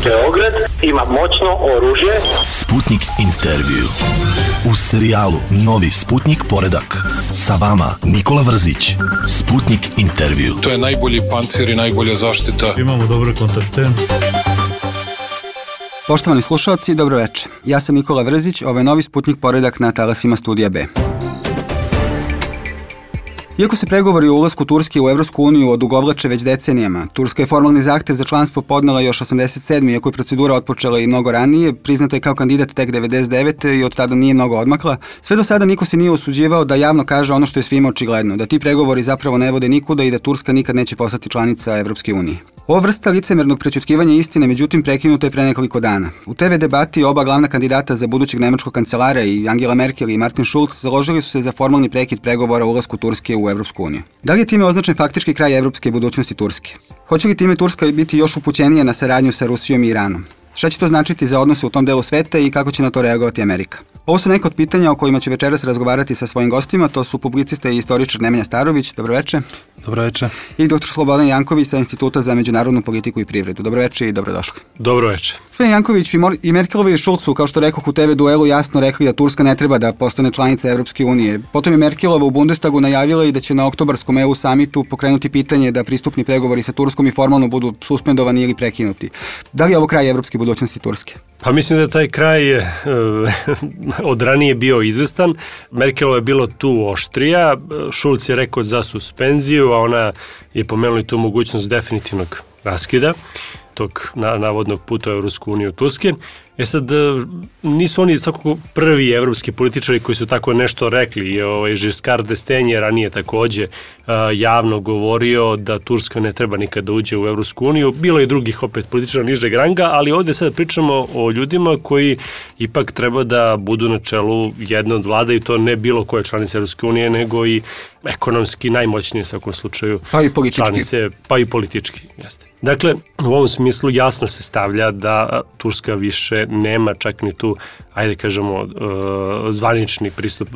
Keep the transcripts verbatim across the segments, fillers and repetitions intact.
Beograd ima moćno oružje. Sputnik intervju. U serijalu Novi Sputnik poredak. Sa vama Nikola Vrzić. Sputnik intervju. To je najbolji pancir i najbolja zaštita. Imamo dobre kontakte. Poštovani slušalci, dobro večer. Ja sam Nikola Vrzić, ovo je Novi Sputnik poredak na talasima Studija B. Iako se pregovori o ulasku Turske u Evropsku uniju odugovlače već decenijama, Turska je formalni zahtev za članstvo podnela još osamdeset sedme. Iako je procedura otpočela i mnogo ranije, priznata je kao kandidat tek devedeset devete. i od tada nije mnogo odmakla. Sve do sada niko se nije usuđivao da javno kaže ono što je svima očigledno, da ti pregovori zapravo ne vode nikuda i da Turska nikad neće postati članica Evropske unije. Ova vrsta licemernog prećutkivanja istine, međutim, prekinuta je pre nekoliko dana. U te ve debati oba glavna kandidata za budućeg nemačkog kancelara, i Angela Merkel i Martin Schulz, založili su se za formalni prekid pregovora o ulasku Turske u Evropsku uniju. Da li je time označen faktički kraj evropske budućnosti Turske? Hoće li time Turska biti još upućenija na saradnju sa Rusijom i Iranom? Šta će to značiti za odnose u tom delu sveta i kako će na to reagovati Amerika? Ovo su neka od pitanja o kojima ću večeras razgovarati sa svojim gostima. To su publicista i istoričar Nemanja Starović. Dobroveče. Dobroveče. I doktor Slobodan Janković sa Instituta za međunarodnu politiku i privredu. Dobroveče i dobrodošli. Dobroveče. Gospodin Janković, i Merkelovi i Schulz su, kao što rekoh u te ve duelu, jasno rekli da Turska ne treba da postane članica Evropske unije. Potom je Merkelova u Bundestagu najavila i da će na oktobarskom E U samitu pokrenuti pitanje da pristupni pregovori sa Turskom i formalno budu suspendovani ili prekinuti. Da li je ovo kraj evropske budućnosti Turske? Pa mislim da je taj kraj uh, od ranije bio izvestan. Merkelova je bilo tu oštrija, Schulz je rekao za suspenziju, a ona je pomenula tu mogućnost definitivnog raskida tog navodnog puta u Evropsku uniju Turske. E sad, nisu oni svakako prvi evropski političari koji su tako nešto rekli. I ovaj Giscard d'Estaing je ranije takođe uh, javno govorio da Turska ne treba nikad da uđe u Evropsku uniju. Bilo je drugih opet političara nižeg ranga, ali ovde sad pričamo o ljudima koji ipak treba da budu na čelu jedne od vlada i to ne bilo koje članice Evropske unije, nego i ekonomski najmoćnije u svakom slučaju pa i politički. Članice, pa i politički. Jeste. Dakle, u ovom smislu jasno se stavlja da Turska više nema čak ni tu, ajde kažemo, zvanični pristup,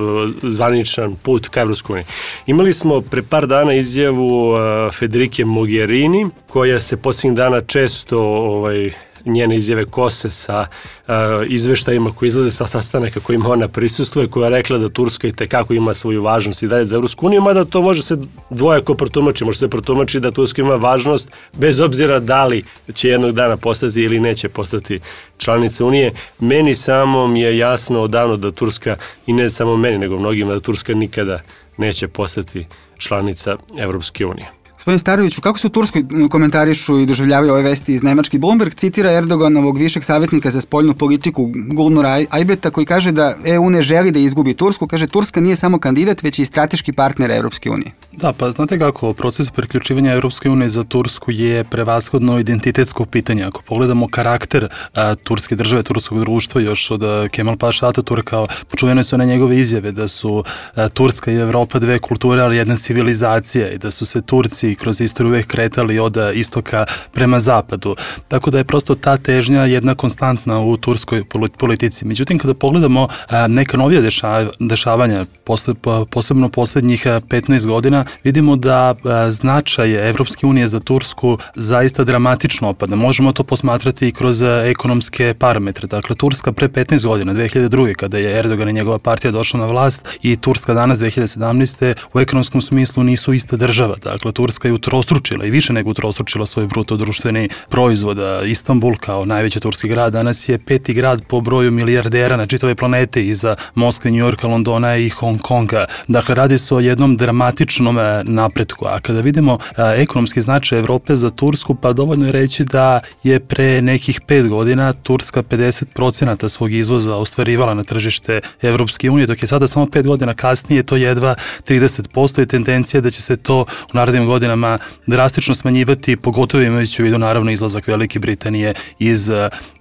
zvaničan put ka Evropskoj uniji. Imali smo pre par dana izjavu Federike Mogherini, koja se posljednjih dana često ovaj, njene izjave kose sa uh, izveštajima koji izlaze sa sastanaka kojima ona prisustuje, koja je rekla da Turska i tekako ima svoju važnost i dalje za Evropsku uniju, mada to može se dvojako protumači. Može se protumači da Turska ima važnost bez obzira da li će jednog dana postati ili neće postati članica Unije. Meni samom je jasno odavno da Turska, i ne samo meni, nego mnogima, da Turska nikada neće postati članica Evropske unije. Gospodin Staroviću, kako se u Turskoj komentarišu i doživljavaju ove vesti iz Nemačke? Bloomberg citira Erdoganovog višeg savjetnika za spoljnu politiku Gulnura Ajbeta, koji kaže da E U ne želi da izgubi Tursku. Kaže, Turska nije samo kandidat, već i strateški partner Evropske unije. Da, pa znate kako, proces priključivanja Evropske unije za Tursku je prevashodno identitetsko pitanje. Ako pogledamo karakter a, turske države, turskog društva, još od a, Kemal Paša Ataturka, počuvene su na njegove izjave da su a, Turska i Evropa dve kulture, ali jedna civilizacija, i da su se Turci i kroz istoriju uvek kretali od istoka prema zapadu. Tako da je prosto ta težnja jedna konstantna u turskoj politici. Međutim, kada pogledamo a, neka novija deša, dešavanja, posle, posebno poslednjih petnaest godina, vidimo da a, značaj Evropske unije za Tursku zaista dramatično opada. Možemo to posmatrati i kroz a, ekonomske parametre. Dakle, Turska pre petnaest godina, dve hiljade druge. kada je Erdogan i njegova partija došla na vlast, i Turska danas dve hiljade sedamnaeste. u ekonomskom smislu nisu ista država. Dakle, Turska je utrostručila i više nego utrostručila svoj bruto društveni proizvod. Istanbul kao najveći turski grad danas je peti grad po broju milijardera na čitavoj planeti, iza Moskve, Njujorka, Londona i Hong Konga. Dakle, radi se o jednom dramatičnom napretku. A kada vidimo ekonomski značaj Evrope za Tursku, pa dovoljno je reći da je pre nekih pet godina Turska pedeset procenata svog izvoza ostvarivala na tržište Evropske unije, dok je sada samo pet godina kasnije to jedva trideset posto i tendencija da će se to u narednim godinama drastično smanjivati, pogotovo imajući u vidu naravno izlazak Velike Britanije iz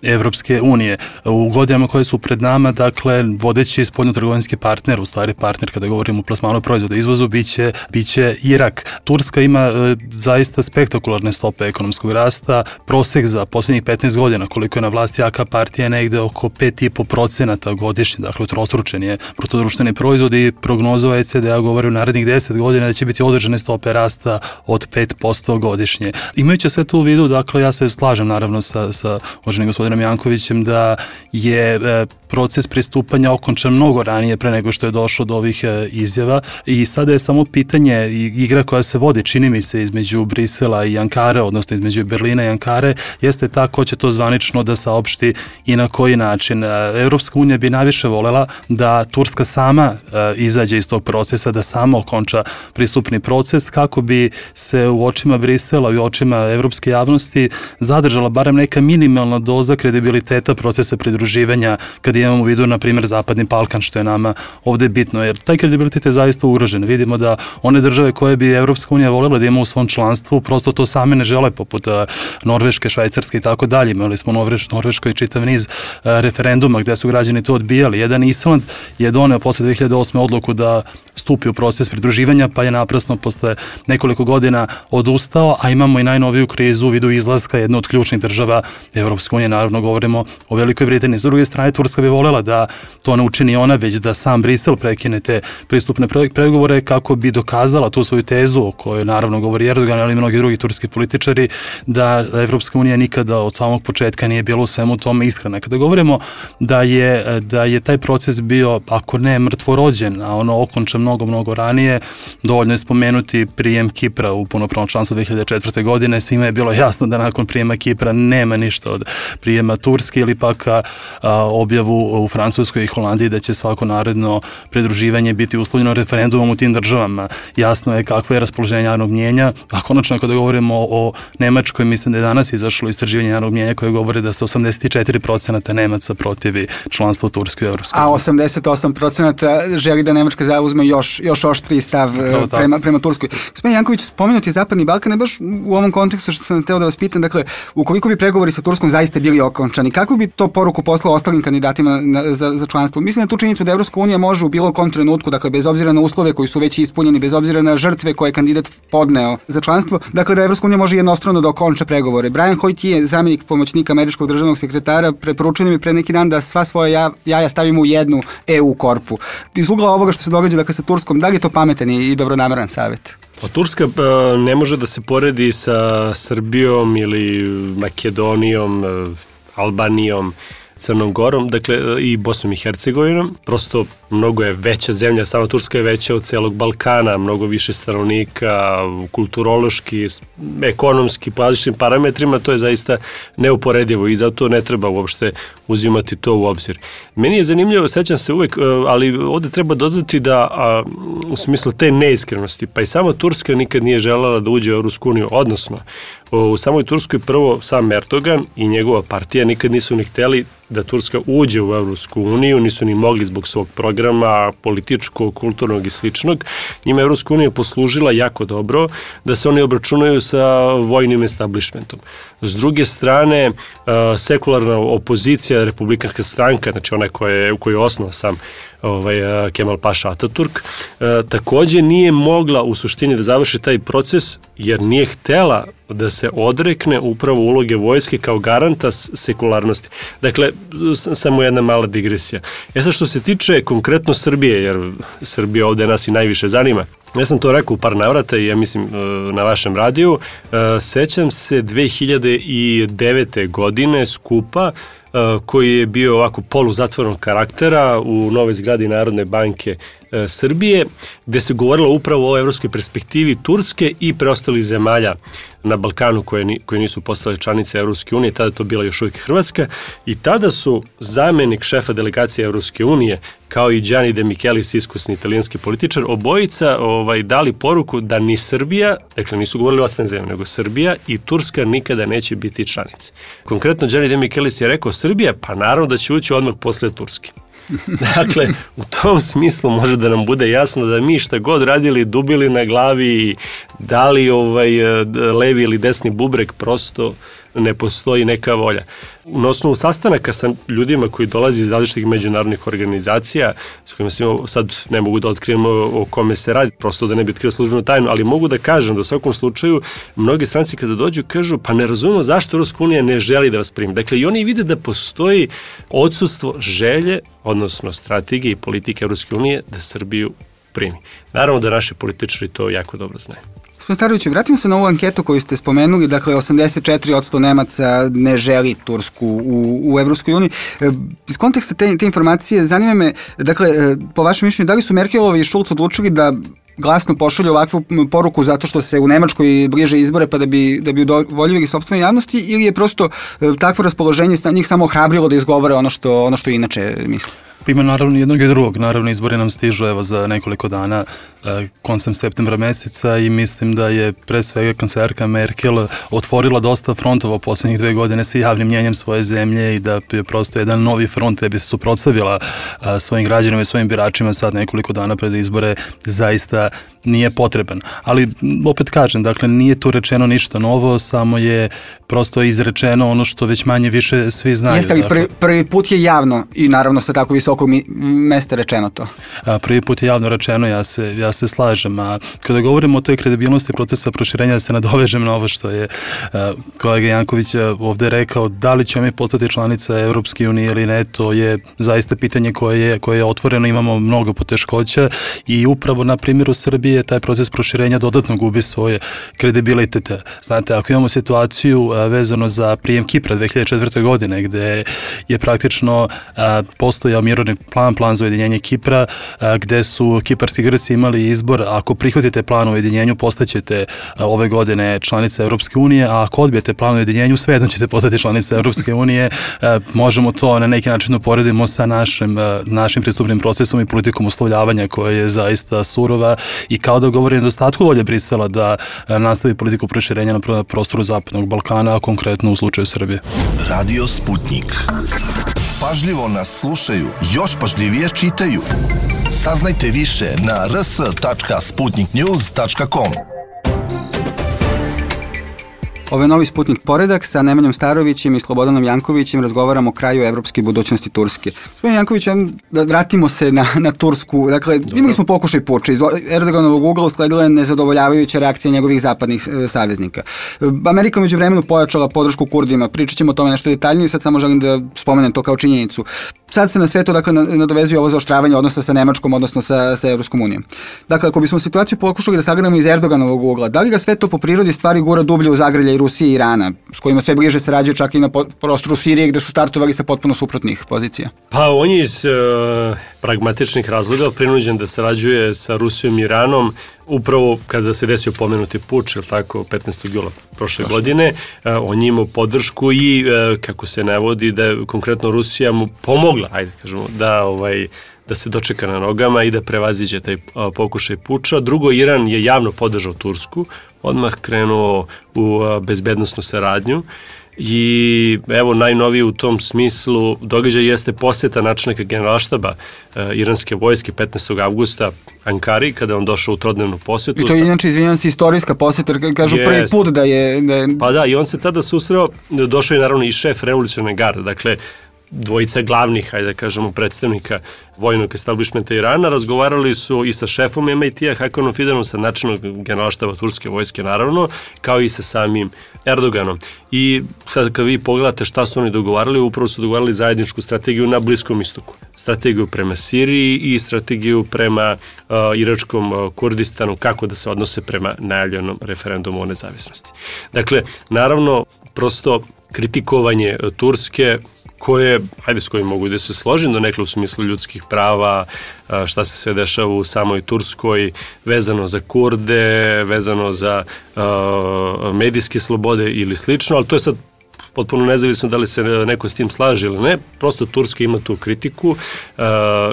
Evropske unije. U godinama koje su pred nama, dakle, vodeći spoljnotrgovinski partner, u stvari partner kada govorimo o plasmanu proizvoda i izvozu, biće, biće Irak. Turska ima e, zaista spektakularne stope ekonomskog rasta, prosek za posljednjih petnaest godina, koliko je na vlasti jaka partija, negde oko pet i po procenata godišnje, dakle, utrostručen je bruto društveni proizvod, i prognoza O E C D-a govori u narednih deset godina da će biti određene stope rasta od pet posto godišnje. Imajući sve to u vidu, dakle, ja se slažem naravno sa, sa uvaženim gospodinom Jankovićem da je e, proces pristupanja okončan mnogo ranije pre nego što je došlo do ovih e, izjava i sada je samo pitanje igra koja se vodi, čini mi se, između Brisela i Ankare, odnosno između Berlina i Ankare, jeste ta ko će to zvanično da saopšti i na koji način. Evropska unija bi najviše volela da Turska sama e, izađe iz tog procesa, da sama okonča pristupni proces kako bi se u očima Brisela i u očima evropske javnosti zadržala barem neka minimalna doza kredibiliteta procesa pridruživanja kad imamo u vidu, na primjer, Zapadni Balkan, što je nama ovde bitno, jer taj kredibilitet je zaista ugrožen. Vidimo da one države koje bi Evropska unija volela da ima u svom članstvu, prosto to same ne žele, poput Norveške, Švajcarske i tako dalje. Imali smo u Norveš, Norveškoj čitav niz referenduma gde su građani to odbijali. Jedan Island je doneo posle dve hiljade osme odluku da stupi u proces pridruživanja, pa je naprasno posle nekoliko godina odustao, a imamo i najnoviju krizu u vidu izlaska jedne od ključnih država Evropske unije, naravno govorimo o Velikoj Britaniji. S druge strane, Turska bi volela da to ne učini ona, već da sam Brisel prekine te pristupne pregovore kako bi dokazala tu svoju tezu o kojoj naravno govori Erdogan, ali i mnogi drugi turski političari, da Evropska unija nikada od samog početka nije bila u svemu tome iskrena. Kada govorimo da je, da je taj proces bio, ako ne mrtvorođen, a ono okončan mnogo, mnogo ranije, dovoljno je spomenuti prijem Kipra u punopravno članstvo dve hiljade četvrte. godine. Svima je bilo jasno da nakon prijema Kipra nema ništa od prijema Turske ili pak a, objavu u Francuskoj i Holandiji da će svako naredno pridruživanje biti uslovljeno referendumom u tim državama. Jasno je kakvo je raspoloženje javnog mnjenja, a konačno kada govorimo o Nemačkoj, mislim da je danas izašlo istraživanje javnog mnjenja koje govore da se osamdeset četiri posto Nemaca protivi članstvo Turske u Evropskoj uniji. A osamdeset osam posto želi da Nemačka zauzme još, još oštriji stav prema, prema Turskoj. Gospodin Janković, spomenuti Zapadni Balkan, baš u ovom kontekstu što sam teo da vas pitam, dakle, ukoliko bi pregovori sa Turskom zaista bili okončani, kako bi to poruku poslao ostalim kandidatima na, za, za članstvo? Mislim na tu činjenicu da Evropska unija može u bilo kom trenutku, dakle, bez obzira na uslove koji su već ispunjeni, bez obzira na žrtve koje je kandidat podneo za članstvo, dakle, da Evropska unija može jednostrano da okonča pregovore. Brian Hoyt je zamjenik pomoćnika američkog državnog sekretara, preporučio mi pre neki dan da sva svoja jaja stavimo u jednu E U korpu. Iz ugla ovoga što se događa, dakle, sa Turskom, da li je to pametan i dobronameran savjet? Pa Turska ne može da se poredi sa Srbijom ili Makedonijom, Albanijom, Crnom Gorom, dakle i Bosnom i Hercegovinom. Prosto mnogo je veća zemlja, sama Turska je veća od celog Balkana, mnogo više stanovnika, kulturološki, ekonomski, po različitim parametrima, to je zaista neuporedivo i zato ne treba uopšte uzimati to u obzir. Meni je zanimljivo, sećam se uvek, ali ovde treba dodati da a, u smislu te neiskrenosti, pa i sama Turska nikad nije želela da uđe u Evropsku uniju, odnosno u samoj Turskoj prvo sam Erdogan i njegova partija nikad nisu ni hteli da Turska uđe u Evropsku uniju, nisu ni mogli zbog svog programa političkog, kulturnog i sličnog. Njima Evropska unija poslužila jako dobro da se oni obračunaju sa vojnim establishmentom. S druge strane, sekularna opozicija, republikanska stranka, znači ona koja je, koju je osnovao sam ovaj, Kemal Paša Ataturk, takođe nije mogla u suštini da završi taj proces jer nije htela da se odrekne upravo uloge vojske kao garanta sekularnosti. Dakle, samo jedna mala digresija. E sad što se tiče konkretno Srbije, jer Srbija ovde nas i najviše zanima, ja sam to rekao u par navrata i ja mislim na vašem radiju, sećam se dve hiljade devete. godine skupa koji je bio ovako poluzatvorenog karaktera u novoj zgradi Narodne banke Srbije, gde se govorilo upravo o evropskoj perspektivi Turske i preostalih zemalja na Balkanu koje, ni, koje nisu postale članice Evropske unije, tada to bila još uvijek Hrvatska, i tada su zamenik šefa delegacije Evropske unije, kao i Gianni De Michelis, iskusni italijanski političar, obojica ovaj, dali poruku da ni Srbija, dakle nisu govorili o ostalim zemljama, nego Srbija i Turska nikada neće biti članice. Konkretno Gianni De Michelis je rekao Srbija, pa naravno da će ući odmah posle Turske. Dakle, u tom smislu može da nam bude jasno da mi šta god radili, dubili na glavi, dali ovaj levi ili desni bubreg, prosto ne postoji neka volja. Na osnovu sastanaka sa ljudima koji dolazi iz različitih međunarodnih organizacija, s kojima se sad ne mogu da otkrijemo o kome se radi, prosto da ne bi otkrio službenu tajnu, ali mogu da kažem da u svakom slučaju mnogi stranci kada dođu kažu pa ne razumemo zašto Evropska unija ne želi da vas primi. Dakle, i oni vide da postoji odsustvo želje, odnosno strategije i politike Evropske unije da Srbiju primi. Naravno da naši političari to jako dobro znaju. Gospodin Staroviću, vratimo se na ovu anketu koju ste spomenuli, dakle osamdeset četiri posto Nemaca ne želi Tursku u, u Evropskoj uniji. Iz konteksta te, te informacije zanima me, dakle, po vašem mišljenju, da li su Merkelovi i Schulz odlučili da glasno pošalju ovakvu poruku zato što se u Nemačkoj bliže izbore pa da bi, da bi udovoljili sopstvenoj javnosti, ili je prosto takvo raspoloženje njih samo ohrabrilo da izgovore ono što, ono što inače misle? Ima naravno jednog i drugog, naravno izbori nam stižu evo za nekoliko dana koncem septembra meseca i mislim da je pre svega kancelarka Merkel otvorila dosta frontova u poslednjih dve godine sa javnim mnjenjem svoje zemlje i da je prosto jedan novi front da bi se suprotstavila svojim građanima i svojim biračima sad nekoliko dana pred izbore zaista nije potreban. Ali opet kažem, dakle nije tu rečeno ništa novo, samo je prosto izrečeno ono što već manje više svi znaju. Jeste li prvi, prvi put je javno i naravno sa tako visokog mesta rečeno to? A, prvi put je javno rečeno, ja se, ja se slažem. A kada govorimo o toj kredibilnosti procesa proširenja, da se nadovežem na ovo što je a, kolega Janković ovde rekao, da li ćemo mi postati članica Evropske unije ili ne, to je zaista pitanje koje je, koje je otvoreno, imamo mnogo poteškoća i upravo na primjeru Srbije taj proces proširenja dodatno gubi svoje kredibilitete. Znate, ako imamo situaciju a, vezano za prijem Kipra dve hiljade četvrte. godine, gde je praktično a, postojao mirovni plan, plan za ujedinjenje Kipra, a, gde su kiparski Grci imali izbor, ako prihvatite plan o ujedinjenju, postaćete a, ove godine članica Evropske unije, a ako odbijete plan o ujedinjenju, svejedno ćete postati članica Evropske unije. A, možemo to na neki način uporedimo sa našim, a, našim pristupnim procesom i politikom uslovljavanja koja je zaista surova i kao da govori o nedostatku volje Brisela da nastavi politiku proširenja na prostoru Zapadnog Balkana, a konkretno u slučaju Srbije. Radio Sputnik. Pažljivo nas slušaju, još pažljivije čitaju. Saznajte više na r s tačka sputnik news tačka com. Ovo je novi Sputnik Poredak, sa Nemanjom Starovićem i Slobodanom Jankovićem razgovaramo o kraju evropske budućnosti Turske. Gospodin Janković, da vratimo se na, na Tursku. Dakle, Dobro. imali smo pokušaj puča. Iz Erdoganovog ugla usledila je nezadovoljavajuća reakcija njegovih zapadnih e, saveznika. Amerika među vremenu pojačala podršku Kurdima. Pričat ćemo o tome nešto detaljnije, sad samo želim da spomenem to kao činjenicu. Sad se na svetu dakle, nadovezuje ovo zaoštravanje odnosa sa Nemačkom, odnosno sa, sa Evropskom unijom. Dakle, ako bismo situaciju pokušali da sagledamo iz Erdoganovog ugla, da li ga sve to po prirodi stvari gura dublje u zagrlje Rusije i Irana, s kojima sve bliže sarađuje čak i na prostoru Sirije, gde su startovali sa potpuno suprotnih pozicija? Pa on je iz e, pragmatičnih razloga prinuđen da sarađuje sa Rusijom i Iranom upravo kada se desio pomenuti puč, ili tako, petnaestog jula prošle Prošle. godine, e, on je imao podršku i, e, kako se navodi, da je konkretno Rusija mu pomogla, ajde kažemo, da ovaj da se dočeka na nogama i da prevaziđe taj a, pokušaj puča. Drugo, Iran je javno podržao Tursku, odmah krenuo u a, bezbednosnu saradnju i evo najnoviji u tom smislu događaj jeste poseta načelnika generalštaba a, iranske vojske petnaestog avgusta Ankari, kada je on došao u trodnevnu posetu. I to je inače, izvinjam se, istorijska poseta, kažu jest. prvi put da je, da je... Pa da, i on se tada susreo, došao je naravno i šef revolucionarne garde, dakle dvojica glavnih, hajde da kažemo, predstavnika vojnog establishmenta Irana, razgovarali su i sa šefom em aj te-a Hakanom Fidanom, sa načelnog generalštaba turske vojske naravno, kao i sa samim Erdoganom. I sad kad vi pogledate šta su oni dogovarali, upravo su dogovarali zajedničku strategiju na Bliskom istoku. Strategiju prema Siriji i strategiju prema uh, iračkom uh, Kurdistanu, kako da se odnose prema najavljenom referendumu o nezavisnosti. Dakle, naravno, prosto kritikovanje uh, Turske, koje, hajde s kojim mogu da se složim do nekle u smislu ljudskih prava, šta se sve dešava u samoj Turskoj, vezano za Kurde, vezano za uh, medijske slobode ili slično, ali to je sad potpuno nezavisno da li se neko s tim slaže ili ne, prosto Turska ima tu kritiku, uh,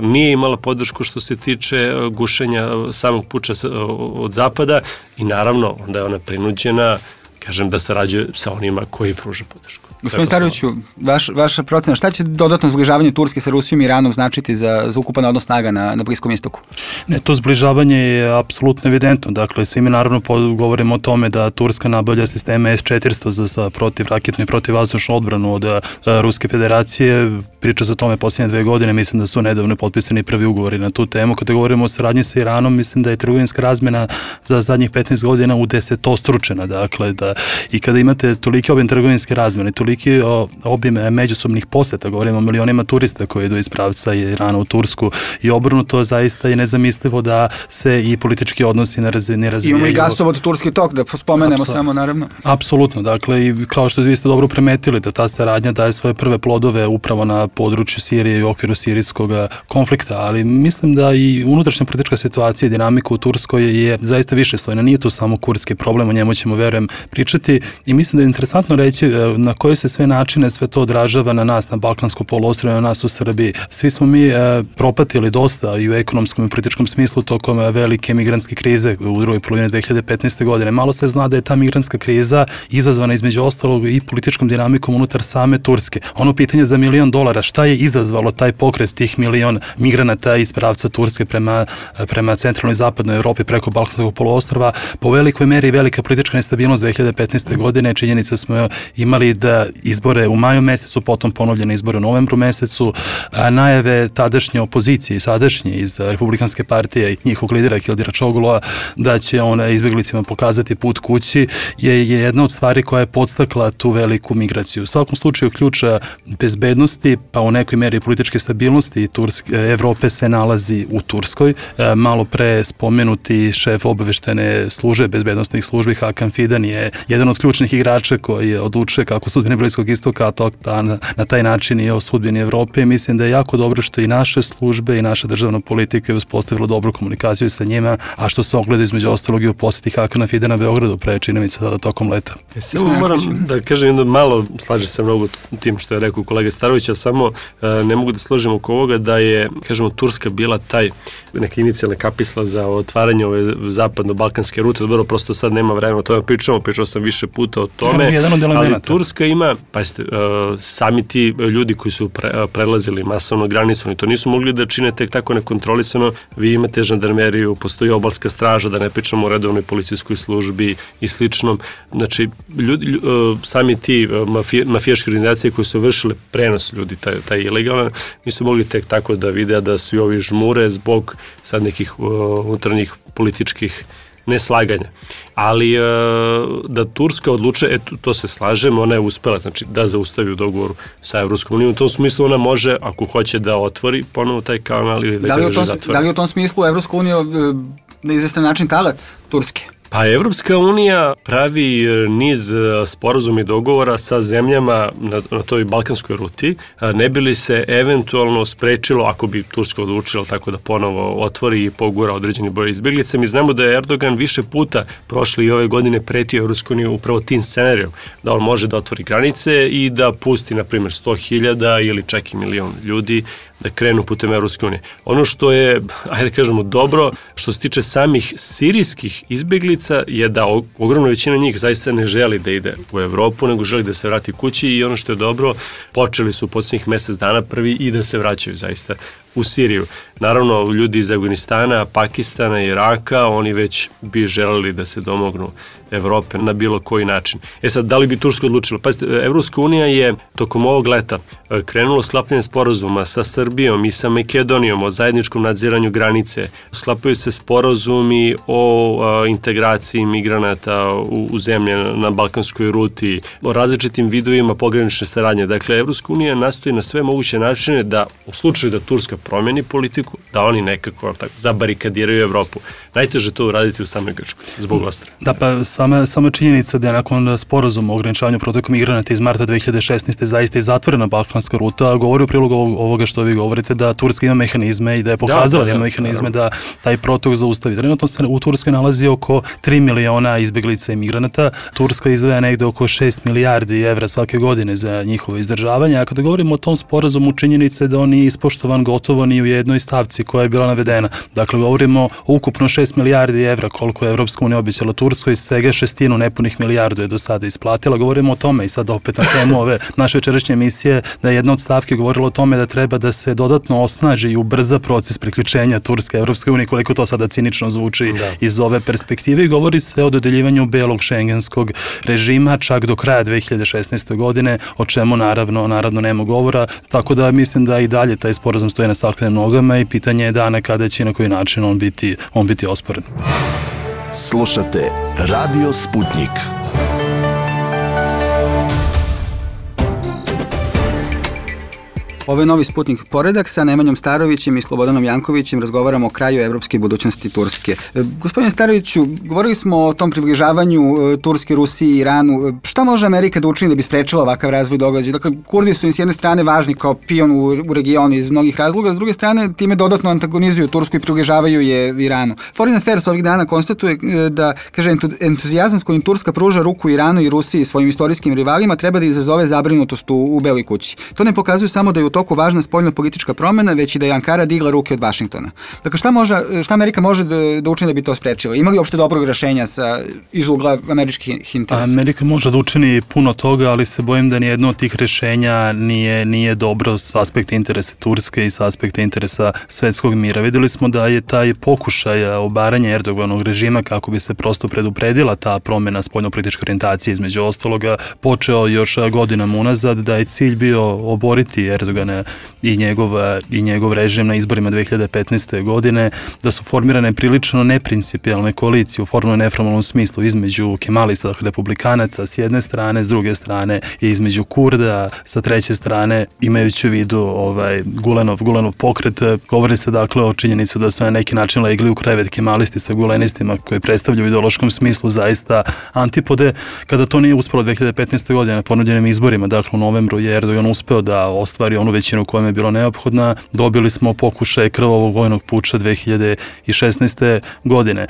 nije imala podršku što se tiče gušenja samog puča od zapada i naravno onda je ona prinuđena, kažem, da sarađuje sa onima koji pruža podršku. Gospodin Staroviću, vaš, vaša procena, šta će dodatno zbližavanje Turske sa Rusijom i Iranom značiti za, za ukupan odnos snaga na, na Bliskom istoku? Ne, to zbližavanje je apsolutno evidentno. Dakle, svi mi naravno govorimo o tome da Turska nabavlja sisteme es četiristo za, za protivraketnu i protivvazdušnu odbranu od a, Ruske federacije. Priča se o tome posljednje dve godine, mislim da su nedavno potpisani prvi ugovori na tu temu. Kada govorimo o saradnji sa Iranom, mislim da je trgovinska razmjena za zadnjih petnaest godina udesetostručena. Dakle, da, i kada imate toliki objem trgovinske razmjene, toliki obim međusobnih poseta, govorimo o milionima turista koji idu iz pravca Irana u Tursku i obrnuto, zaista je nezamislivo da se i politički odnosi ne razvijaju. Imamo i gasovod Turski tok, da spomenemo Apsa, samo naravno. Apsolutno, dakle i kao što vi ste dobro primetili da ta saradnja daje svoje prve plodove upravo na području Sirije i u okviru sirijskog konflikta, ali mislim da i unutrašnja politička situacija i dinamika u Turskoj je zaista višeslojna, nije to samo kurdski problem, o njemu ćemo, verujem, pričati i mislim da je interesantno reći na koje se sve načine sve to odražava na nas, na Balkansku poluostrvo, na nas u Srbiji. Svi smo mi e, propatili dosta i u ekonomskom i političkom smislu tokom velike migrantske krize u drugoj polovini dve hiljade petnaeste. godine. Malo se zna da je ta migrantska kriza izazvana između ostalog i političkom dinamikom unutar same Turske. Ono pitanje za milion dolara, šta je izazvalo taj pokret tih milion migranata iz pravca Turske prema, prema centralnoj i zapadnoj Evropi preko Balkanskog poluostrva, po velikoj meri velika politička nestabilnost dve hiljade petnaeste. godine. Činjenica smo imali da izbore u maju mesecu, potom ponovljene izbore u novembru mesecu, a najave tadašnje opozicije i sadašnje iz Republikanske partije i njihovog lidera Kildira Čogulova da će on izbjeglicima pokazati put kući je jedna od stvari koja je podstakla tu veliku migraciju. U svakom slučaju ključa bezbednosti, pa u nekoj meri političke stabilnosti Turske, Evrope se nalazi u Turskoj. Malo pre spomenuti šef obaveštene službe, bezbednostnih službi Hakan Fidan je jedan od ključnih igrača koji odlučuje kako sudbine Bliskog istoka, a to na, na taj način i o sudbini Evrope. Mislim da je jako dobro što i naše službe i naša državna politika je uspostavila dobru komunikaciju sa njima, a što se ogleda između ostalog i u poseti Hakana Fidana Beogradu pre, čini mi se, sada tokom leta. Ja samo moram da kažem jedno malo, slažem se mnogo tim što je rekao kolega Starović, a samo ne mogu da složim oko ovoga da je, kažemo, Turska bila taj neka inicijalna kapisla za otvaranje ove zapadno-balkanske rute. Dobro, prosto sad nema vremena o tome pričamo, pričao sam više puta o tome, ali Turska ima, pazite, sami ti ljudi koji su pre, prelazili masovno granicu, oni to nisu mogli da čine tek tako nekontrolisano. Vi imate žandarmeriju, postoji obalska straža, da ne pričamo o redovnoj policijskoj službi i sličnom. Znači, ljudi, ljudi, sami ti mafije, mafijaške organizacije koje su vršile prenos ljudi, taj, taj ilegalan, nisu mogli tek tako da vide da svi ovi žmure zbog sad nekih uh, unutarnjih političkih neslaganja. Ali uh, da Turska odluče, eto, to se slažem, ona je uspela, znači da zaustavi u dogovoru sa Evropskom unijom. U tom smislu ona može, ako hoće da otvori ponovo taj kanal ili da, da ga zatvori. Da li u tom smislu Evropska unija na izvestan način talac Turske? Pa Evropska unija pravi niz sporazuma i dogovora sa zemljama na, na toj balkanskoj ruti, ne bi li se eventualno sprečilo, ako bi Turska odlučila tako da ponovo otvori i pogura određeni broj izbjeglica. Mi znamo da je Erdogan više puta prošle i ove godine pretio Evropsku uniju upravo tim scenarijom, da on može da otvori granice i da pusti, na primjer, sto hiljada ili čak i milion ljudi da krenu putem Evropske unije. Ono što je, ajde kažemo, dobro, što se tiče samih sirijskih izbjeglica, je da ogromna većina njih zaista ne želi da ide u Evropu, nego želi da se vrati kući i ono što je dobro, počeli su u posljednjih mjesec dana prvi i da se vraćaju zaista u Siriju. Naravno, ljudi iz Afganistana, Pakistana, Iraka, oni već bi želeli da se domognu Evrope na bilo koji način. E sad, da li bi Turska odlučila? Pazite, Evropska unija je tokom ovog leta krenulo sklapanje sporazuma sa Srbijom i sa Makedonijom o zajedničkom nadziranju granice. Sklapaju se sporazumi o a, integraciji migranata u, u zemlje na balkanskoj ruti, o različitim vidovima pogranične saradnje. Dakle, Evropska unija nastoji na sve moguće načine da u slučaju da Turska promeni politiku, da oni nekako tako, zabarikadiraju Evropu. Najteže to uraditi u samoj Grčkoj, zbog ostra. Da, pa sama, sama činjenica da je nakon sporazuma o ograničavanju protoka migranata iz marta dve hiljade šesnaeste. zaista je zatvorena balkanska ruta, govori u prilog ovoga što vi govorite, da Turska ima mehanizme i da je pokazala da, da, da ima mehanizme da, da taj protok zaustavi. Trenutno se u Turskoj nalazi oko tri miliona izbjeglica i migranata. Turska izdvaja negde oko šest milijardi evra svake godine za njihovo izdržavanje, a kada govorimo o tom sporazumu, činjenice da on nije ispoštovan gotovo ni u jednoj stavci koja je bila navedena. Dakle, govorimo o ukupno šest milijardi evra koliko je Evropska unija obećala Turskoj, svega šestinu nepunih milijardu je do sada isplatila. Govorimo o tome i sad opet na temu ove naše večerašnje emisije, da je jedna od stavki govorila o tome da treba da se dodatno osnaži i ubrza proces priključenja Turske Evropske unije, koliko to sada cinično zvuči da. Iz ove perspektive, i govori se o dodeljivanju belog šengenskog režima čak do kraja dve hiljade šesnaeste. godine, o čemu naravno, naravno nema govora, tako da mislim da i dalje taj sporazum stoji na staklenim nogama i pitanje je dana kada će i na koji način on biti, on biti osporen. Slušate Radio Sputnik. Ovo je Novi Sputnik Poredak sa Nemanjom Starovićem i Slobodanom Jankovićem. Razgovaramo o kraju evropske budućnosti Turske. E, gospodine Staroviću, govorili smo o tom približavanju e, Turske, Rusiji i Iranu. Šta može Amerika da učini da bi sprečila ovakav razvoj događaja? Dakle, Kurdi su im s jedne strane važni kao pion u, u regionu iz mnogih razloga, s druge strane time dodatno antagonizuju Tursku i približavaju je Iranu. Foreign Affairs ovih dana konstatuje e, da, kaže, entuzijazam s kojim Turska pruža ruku Iranu i Rusiji svojim istorijskim rivalima treba da izazove zabrinutost u, u Beloj kući. To ne pokazuje samo da je u toku važna spoljno-politička promena, već i da je Ankara digla ruke od Vašingtona. Dakle, šta, može, šta Amerika može da, da učini da bi to sprečila? Ima li uopšte dobrog rešenja sa, iz ugla američkih interesa? Amerika može da učini puno toga, ali se bojim da nijedno od tih rešenja nije, nije dobro s aspekta interesa Turske i s aspekta interesa svetskog mira. Videli smo da je taj pokušaj obaranja Erdoganovog režima kako bi se prosto predupredila ta promena spoljno-političke orijentacije između ostaloga počeo još godinama unazad, da je cilj bio oboriti Erdogana i njegov, i njegov režim na izborima dve hiljade petnaeste. godine, da su formirane prilično neprincipijalne koalicije u formalno neformalnom smislu između kemalista, dakle republikanaca s jedne strane, s druge strane i između Kurda, sa treće strane, imajući u vidu ovaj, Gulenov, Gulenov pokret. Govori se dakle o činjenicu da su na neki način legli u krevet kemalisti sa gulenistima koji predstavljaju u ideološkom smislu zaista antipode. Kada to nije uspelo dve hiljade petnaeste. godine na ponuđenim izborima, dakle u novembru je Erdogan uspeo da ostvari onu većinu koja je bilo neophodna. Dobili smo pokušaj krvavog vojnog puča dve hiljade šesnaeste. godine.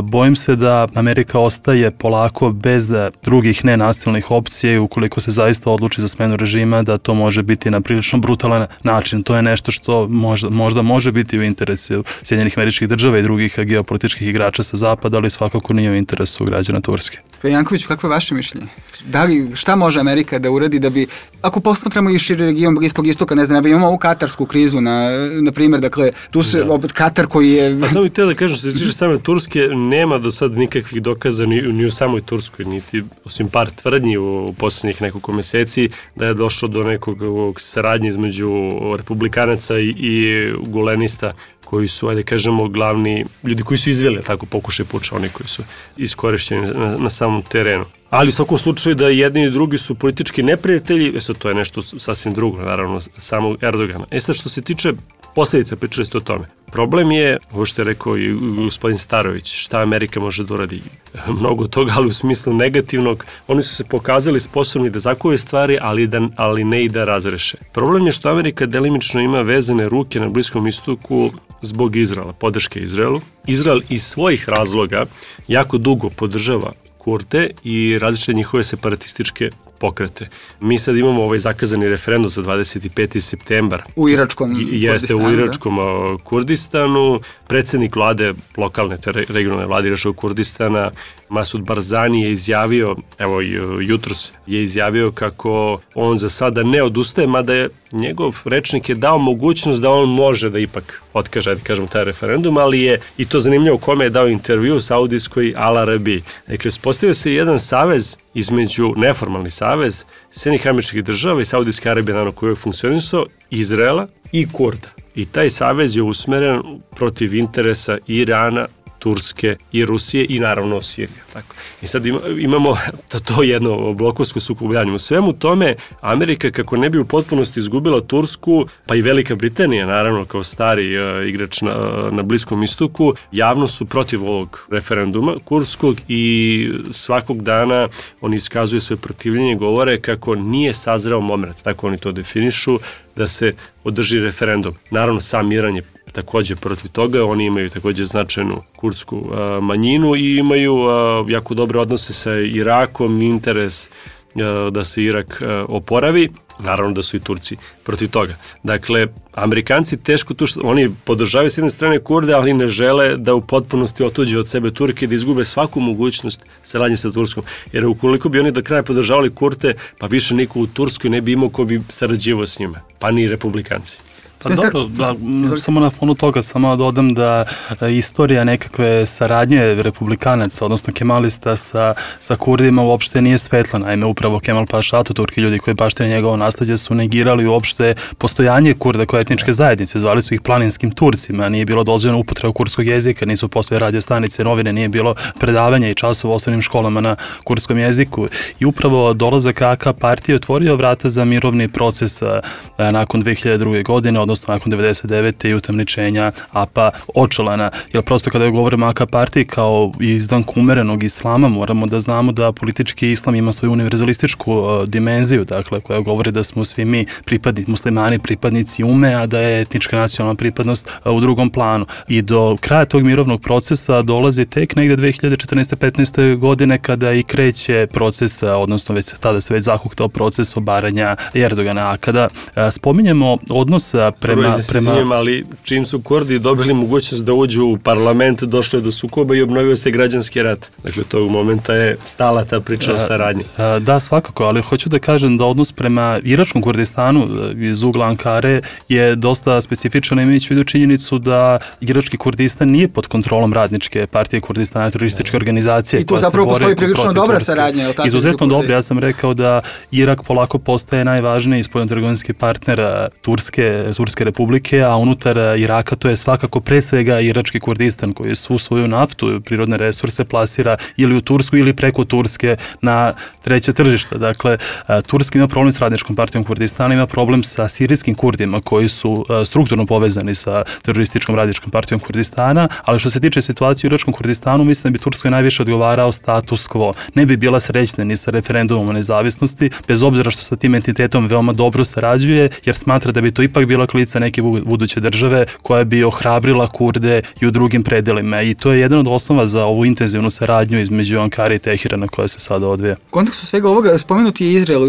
Bojim se da Amerika ostaje polako bez drugih nenasilnih opcija i ukoliko se zaista odluči za smenu režima, da to može biti na prilično brutalan način. To je nešto što možda, možda može biti u interesu Sjedinjenih Američkih Država i drugih geopolitičkih igrača sa zapada, ali svakako nije u interesu građana Turske. Jankoviću, kakvo je vaše mišljenje? Da li, šta može Amerika da uradi da bi, ako posmatramo i širi region Bliskog istoka, ne znam, imamo ovu katarsku krizu, na, na primjer, dakle, tu se da. opet Katar koji je... Pa samo bih te da kažem, što se tiče same Turske, nema do sad nikakvih dokaza ni, ni u samoj Turskoj, niti osim par tvrdnji u poslednjih nekoliko meseci, da je došlo do nekog saradnje između republikanaca i, i gulenista, koji su, ajde kažemo, glavni ljudi koji su izveli tako pokušaj puča, oni koji su iskorišćeni na, na samom terenu. Ali u svakom slučaju da jedni i drugi su politički neprijatelji, e sad to je nešto sasvim drugo, naravno, samog Erdogana. E sad što se tiče posljedica, pričali ste o tome. Problem je, ovo što je rekao i gospodin Starović, šta Amerika može da uradi. Mnogo toga, ali u smislu negativnog. Oni su se pokazali sposobni da zakuve stvari, ali, da, ali ne i da razreše. Problem je što Amerika delimično ima vezane ruke na Bliskom istoku zbog Izraela, podrške Izraelu. Izrael iz svojih razloga jako dugo podržava Kurde i različite njihove separatističke pokrete. Mi sad imamo ovaj zakazani referendum za dvadeset peti septembar. U iračkom Jeste, u iračkom da? Kurdistanu. Predsednik vlade, lokalne, te regionalne vlade iračkog Kurdistana, Masud Barzani je izjavio, evo jutros je izjavio kako on za sada ne odustaje, mada je njegov rečnik je dao mogućnost da on može da ipak otkaže, da kažemo, taj referendum, ali je i to zanimljivo kome je dao intervju u Saudijskoj Al Arabiji. Dakle, postavio se jedan savez između, neformalni savez Sjedinjenih Američkih Država i Saudijske Arabije, naravno, koji je funkcionisao, Izraela i Kurda. I taj savez je usmeren protiv interesa Irana, Turske i Rusije i naravno Sirije. Tako. I sad ima, imamo to, to jedno blokovsko sukobljanje. U svemu tome Amerika, kako ne bi u potpunosti izgubila Tursku, pa i Velika Britanija, naravno, kao stari uh, igrač na, na Bliskom istoku, javno su protiv ovog referenduma kurskog i svakog dana oni iskazuju svoje protivljenje, govore kako nije sazreo moment, tako oni to definišu, da se održi referendum. Naravno, sam Iran je takođe protiv toga, oni imaju takođe značajnu kurdsku a, manjinu i imaju a, jako dobre odnose sa Irakom, interes a, da se Irak a, oporavi, naravno da su i Turci protiv toga. Dakle, Amerikanci teško tu što, oni podržavaju s jedne strane Kurde, ali ne žele da u potpunosti otuđe od sebe Turke, da izgube svaku mogućnost saradnje sa Turskom. Jer ukoliko bi oni do kraja podržavali Kurte, pa više niko u Turskoj ne bi imao ko bi sarađivao s njima, pa ni republikanci. Pa dobro, da, samo na fonu toga, samo dodam da istorija nekakve saradnje republikanaca, odnosno kemalista sa, sa Kurdima uopšte nije svetla. Naime, upravo Kemal Paša Ataturk i ljudi koji baštine njegovo nasleđe su negirali uopšte postojanje Kurda kao etničke zajednice. Zvali su ih planinskim Turcima, nije bilo dozvoljeno upotreba kurdskog jezika, nisu postoje radio stanice, novine, nije bilo predavanja i časova u osnovnim školama na kurdskom jeziku. I upravo dolazak A K partije otvorio vrata za mirovni proces a, nakon dve hiljade druge. godine, odnosno nakon devedeset devete i utamničenja A P A Očelana. Jer prosto kada govorimo A K partiji kao izdanku umerenog islama, moramo da znamo da politički islam ima svoju univerzalističku uh, dimenziju, dakle, koja govori da smo svi mi pripadnici, muslimani, pripadnici ume, a da je etnička nacionalna pripadnost uh, u drugom planu. I do kraja tog mirovnog procesa dolazi tek negde dve hiljade četrnaeste petnaeste. godine kada i kreće proces, odnosno već tada se već zahuktao proces obaranja Erdogana. A kada uh, spominjemo odnos prema... prema... Zijem, ali čim su Kurdi dobili mogućnost da uđu u parlament, došlo je do sukoba i obnovio se građanski rat. Dakle, tog momenta je stala ta priča o saradnji. Da, svakako, ali hoću da kažem da odnos prema iračkom Kurdistanu iz ugla Ankare je dosta specifičan, imajući u vidu činjenicu da irački Kurdistan nije pod kontrolom radničke partije Kurdistana, terorističke organizacije. I tu zapravo postoji prilično dobra saradnja. Izuzetno dobro, ja sam rekao da Irak polako postaje najvažniji spoljnotrgovinski partner Turske, Turske republike, a unutar Iraka to je svakako pre svega irački Kurdistan koji svu svoju naftu, prirodne resurse plasira ili u Tursku ili preko Turske na treće tržište. Dakle, Turska ima problem s radničkom partijom Kurdistana, ima problem sa sirijskim Kurdima koji su strukturno povezani sa terorističkom radničkom partijom Kurdistana, ali što se tiče situacije u iračkom Kurdistanu, mislim da bi Turskoj najviše odgovarao status quo. Ne bi bila srećna ni sa referendumom o nezavisnosti, bez obzira što sa tim entitetom veoma dobro sarađuje, jer smatra da bi to ipak bila klica neke buduće države koja bi ohrabrila Kurde i u drugim predelima. I to je jedan od osnova za ovu intenzivnu saradnju između Ankare i Teherana koja se sada odvija. U kontekstu svega ovoga spomenuti je Izrael.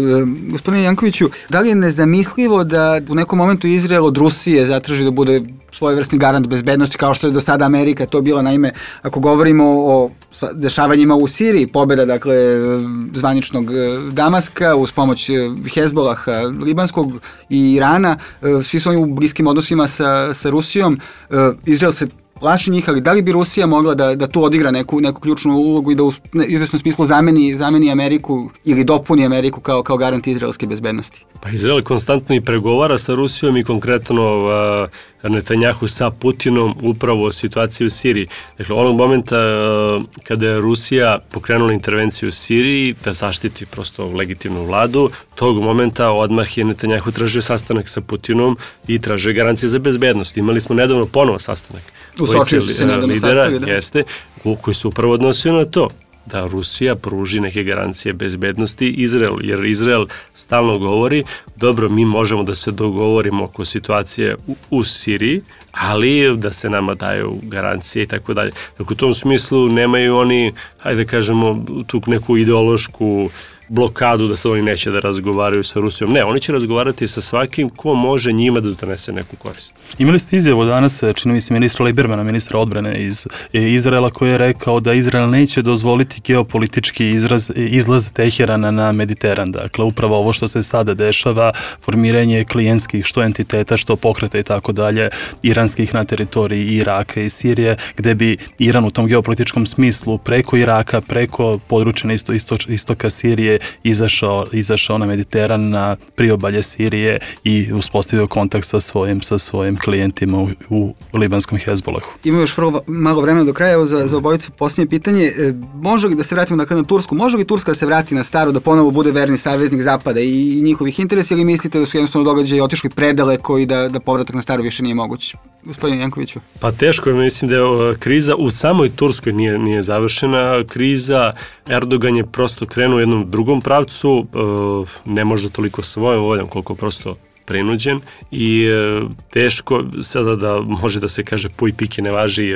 Gospodine Jankoviću, da li je nezamislivo da u nekom momentu Izrael od Rusije zatraži da bude svojevrsni garant bezbednosti kao što je do sada Amerika to bila? Naime, ako govorimo o dešavanjima u Siriji, pobjeda dakle zvaničnog Damaska uz pomoć Hezbolaha libanskog i Irana, svi su oni u bliskim odnosima sa, sa Rusijom, Izrael se plaši njih, ali da li bi Rusija mogla da, da tu odigra neku, neku ključnu ulogu i da u izvesnom smislu zameni, zameni Ameriku ili dopuni Ameriku kao, kao garant izraelske bezbednosti? Pa Izrael konstantno i pregovara sa Rusijom i konkretno uh, Netanjahu sa Putinom upravo o situaciji u Siriji. Dakle, onog momenta uh, kada je Rusija pokrenula intervenciju u Siriji da zaštiti prosto legitimnu vladu, tog momenta odmah je Netanjahu tražio sastanak sa Putinom i tražio garancije za bezbednost. Imali smo nedavno ponovo sastanak. U Sočiju se nedavno sastavi, da? Jeste, koji su upravo odnosio na to da Rusija pruži neke garancije bezbednosti Izraelu, jer Izrael stalno govori, dobro, mi možemo da se dogovorimo oko situacije u, u Siriji, ali da se nama daju garancije i tako dalje. Dakle, u tom smislu nemaju oni, hajde kažemo, tu neku ideološku blokadu da se oni neće da razgovaraju sa Rusijom. Ne, oni će razgovarati sa svakim ko može njima da donese neku korist. Imali ste izjavu danas, čini mi se, ministra Libermana, ministra odbrane iz Izraela, koji je rekao da Izrael neće dozvoliti geopolitički izraz, izlaz Teherana na Mediteran. Dakle, upravo ovo što se sada dešava, formiranje klijentskih što entiteta, što pokreta i tako dalje, iranskih na teritoriji Iraka i Sirije, gde bi Iran u tom geopolitičkom smislu preko Iraka, preko područja isto, isto, istoka Sirije izašao, izašao na Mediteran, na priobalje Sirije i uspostavio kontakt sa svojim, sa svojim klijentima u, u libanskom Hezbolahu. Ima još vrlo malo vremena do kraja, evo za, za obojicu posljednje pitanje. E, može li da se vratimo dakle na Tursku? Može li Turska da se vrati na staro, da ponovo bude verni saveznik Zapada i, i njihovih interesa, ili mislite da su jednostavno događaji otišli predaleko i da, da povratak na staro više nije moguć? Gospodin Jankoviću. Pa teško je, mislim da je kriza u samoj Turskoj nije, nije završena. Kriza, Erdogan je prosto krenuo u jednom drugom pravcu, ne možda toliko svojom voljom koliko prosto prinuđen i teško sada da može da se kaže puj pike ne važi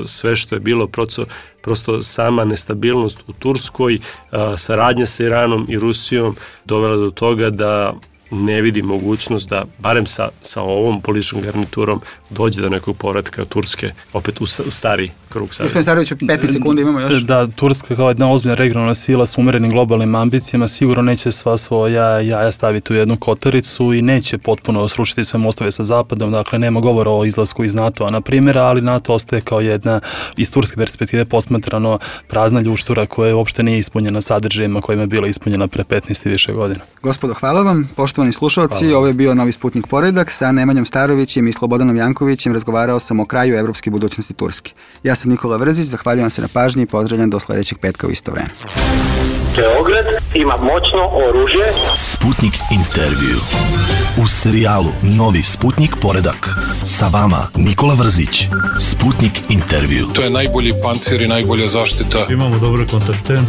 sve što je bilo, prosto, prosto sama nestabilnost u Turskoj, saradnja sa Iranom i Rusijom dovela do toga da ne vidi mogućnost da, barem sa, sa ovom političkom garniturom, dođe do nekog povratka Turske, opet u, u stari krug saveza. Gospodin Starović, u petnaest sekundi imamo još. Da, Turska kao jedna ozbiljna regionalna sila s umerenim globalnim ambicijama sigurno neće sva svoja jaja staviti u jednu kotaricu i neće potpuno srušiti sve mostove sa Zapadom, dakle nema govora o izlasku iz NATO-a na primjera, ali NATO ostaje kao jedna iz turske perspektive posmatrano prazna ljuštura koja uopšte nije ispunjena sadržajima kojima je bila ispunjena pre petnaest i više godina. Gospodo, hvala vam. Poštovani slušalci, ovo je bio Novi Sputnik poredak. Sa Nemanjom Starovićem i Slobodanom Jankovićem razgovarao sam o kraju evropske budućnosti Turske. Ja sam Nikola Vrzić, zahvaljujem se na pažnji i pozdravljam do sledećeg petka u isto vreme. Beograd ima moćno oružje. Sputnik intervju. U serijalu Novi Sputnik poredak. Sa vama Nikola Vrzić. Sputnik intervju. To je najbolji pancir i najbolja zaštita. Imamo dobre kontakte.